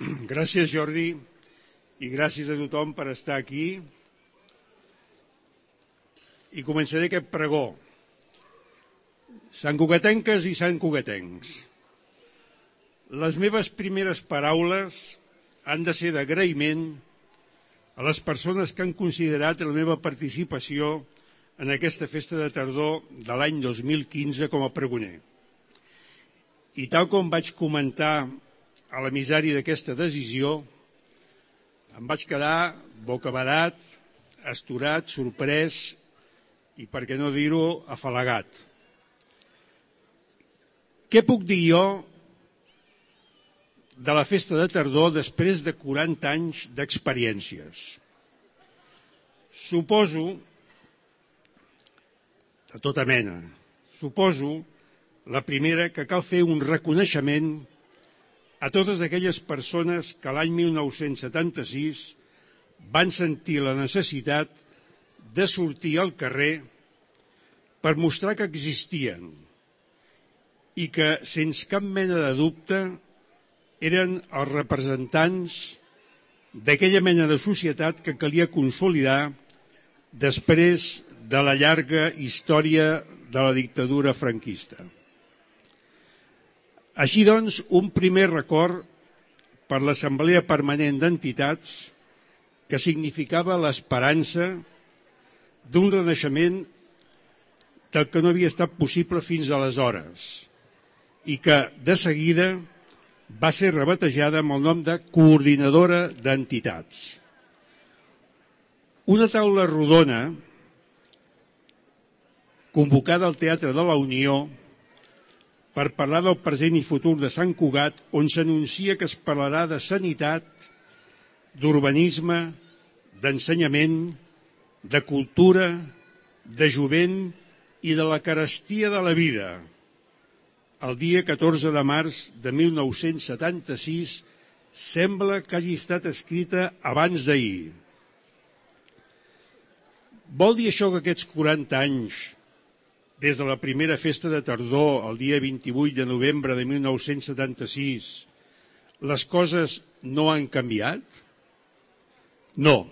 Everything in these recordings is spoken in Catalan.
Gràcies, Jordi, i gràcies a tothom per estar aquí. I començaré aquest pregó. Santcugatenques i santcugatencs, les meves primeres paraules han de ser d'agraïment a les persones que han considerat la meva participació en aquesta festa de tardor de l'any 2015 com a pregoner. I tal com vaig comentar a l'emissari d'aquesta decisió, em vaig quedar bocabadat, astorat, sorprès i, per què no dir-ho, afalagat. Què puc dir jo de la festa de tardor després de 40 anys d'experiències? Suposo, de tota mena, la primera, que cal fer un reconeixement a totes aquelles persones que l'any 1976 van sentir la necessitat de sortir al carrer per mostrar que existien i que, sense cap mena de dubte, eren els representants d'aquella mena de societat que calia consolidar després de la llarga història de la dictadura franquista. Així doncs, un primer record per l'Assemblea Permanent d'Entitats que significava l'esperança d'un renaixement del que no havia estat possible fins aleshores i que, de seguida, va ser rebatejada amb el nom de Coordinadora d'Entitats. Una taula rodona convocada al Teatre de la Unió per parlar del present i futur de Sant Cugat, on s'anuncia que es parlarà de sanitat, d'urbanisme, d'ensenyament, de cultura, de jovent i de la carestia de la vida. El dia 14 de març de 1976 sembla que hagi estat escrita abans d'ahir. Vol dir això que aquests 40 anys, des de la primera festa de tardor, el dia 28 de novembre de 1976, les coses no han canviat? No.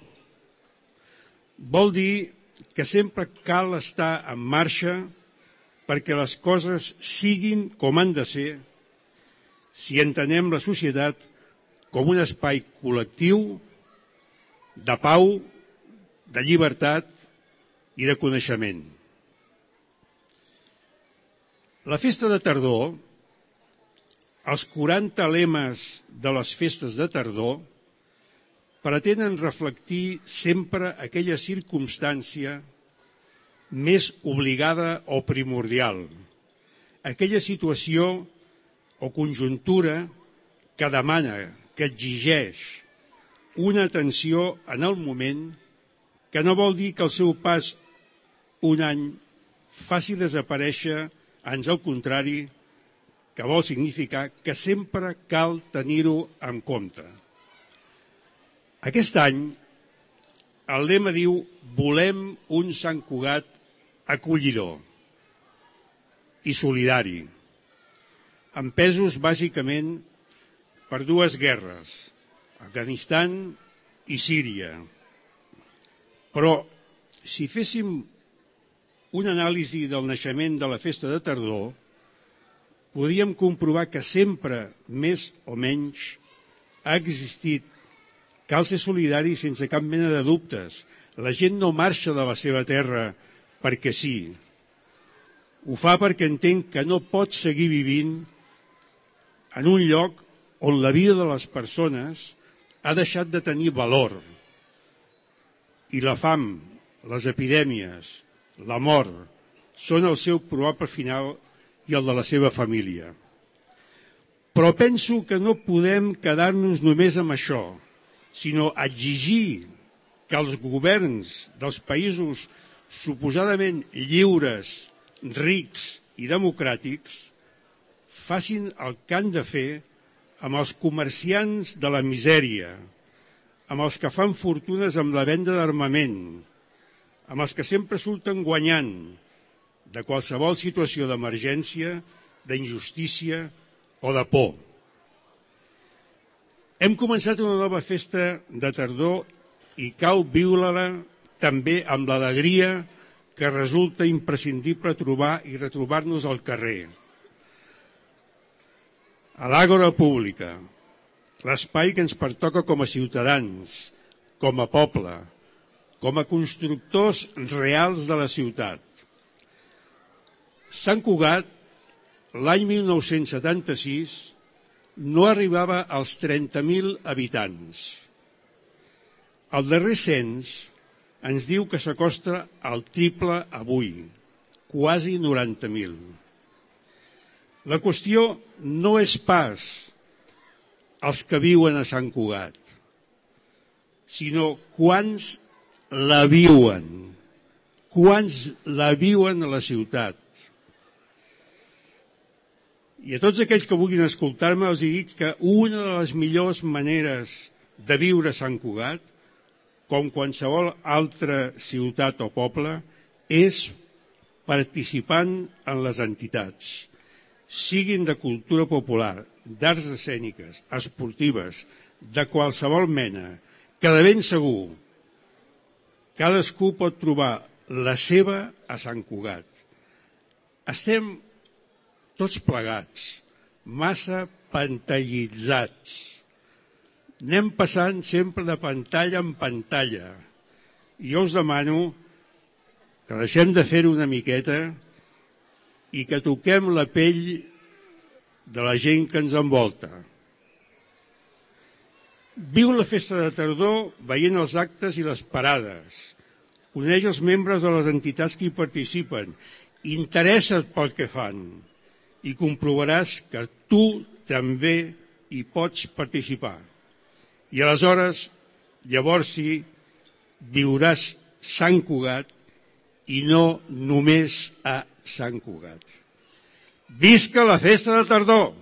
Vol dir que sempre cal estar en marxa perquè les coses siguin com han de ser si entenem la societat com un espai col·lectiu de pau, de llibertat i de coneixement. La festa de tardor, els 40 lemes de les festes de tardor, pretenen reflectir sempre aquella circumstància més obligada o primordial, aquella situació o conjuntura que demana, que exigeix una atenció en el moment, que no vol dir que el seu pas un any faci desaparèixer, ans al contrari, que vol significar que sempre cal tenir-ho en compte. Aquest any, el lema diu: volem un Sant Cugat acollidor i solidari, empesos bàsicament per dues guerres, Afganistan i Síria. Però si féssim una anàlisi del naixement de la festa de tardor, podríem comprovar que sempre, més o menys, ha existit. Cal ser solidari sense cap mena de dubtes. La gent no marxa de la seva terra perquè sí. Ho fa perquè entén que no pot seguir vivint en un lloc on la vida de les persones ha deixat de tenir valor. I la fam, les epidèmies, la mort, són el seu probable final i el de la seva família. Però penso que no podem quedar-nos només amb això, sinó exigir que els governs dels països suposadament lliures, rics i democràtics facin el que han de fer amb els comerciants de la misèria, amb els que fan fortunes amb la venda d'armament, amb els que sempre surten guanyant de qualsevol situació d'emergència, d'injustícia o de por. Hem començat una nova festa de tardor i cal viure-la també amb l'alegria que resulta imprescindible trobar i retrobar-nos al carrer. A l'àgora pública, l'espai que ens pertoca com a ciutadans, com a poble, com a constructors reals de la ciutat. Sant Cugat, l'any 1976, no arribava als 30.000 habitants. El darrer cens ens diu que s'acosta al triple avui, quasi 90.000. La qüestió no és pas els que viuen a Sant Cugat, sinó quants la viuen a la ciutat. I a tots aquells que vulguin escoltar-me els dic que una de les millors maneres de viure a Sant Cugat, com qualsevol altra ciutat o poble, és participant en les entitats, siguin de cultura popular, d'arts escèniques, esportives, de qualsevol mena, que de ben segur cadascú pot trobar la seva a Sant Cugat. Estem tots plegats, massa pantallitzats. Anem passant sempre de pantalla en pantalla. I jo us demano que deixem de fer-ho una miqueta i que toquem la pell de la gent que ens envolta. Viu la festa de tardor veient els actes i les parades. Coneix els membres de les entitats que hi participen. Interessa't pel que fan i comprovaràs que tu també hi pots participar. I aleshores, llavors sí, viuràs Sant Cugat i no només a Sant Cugat. Visca la festa de tardor!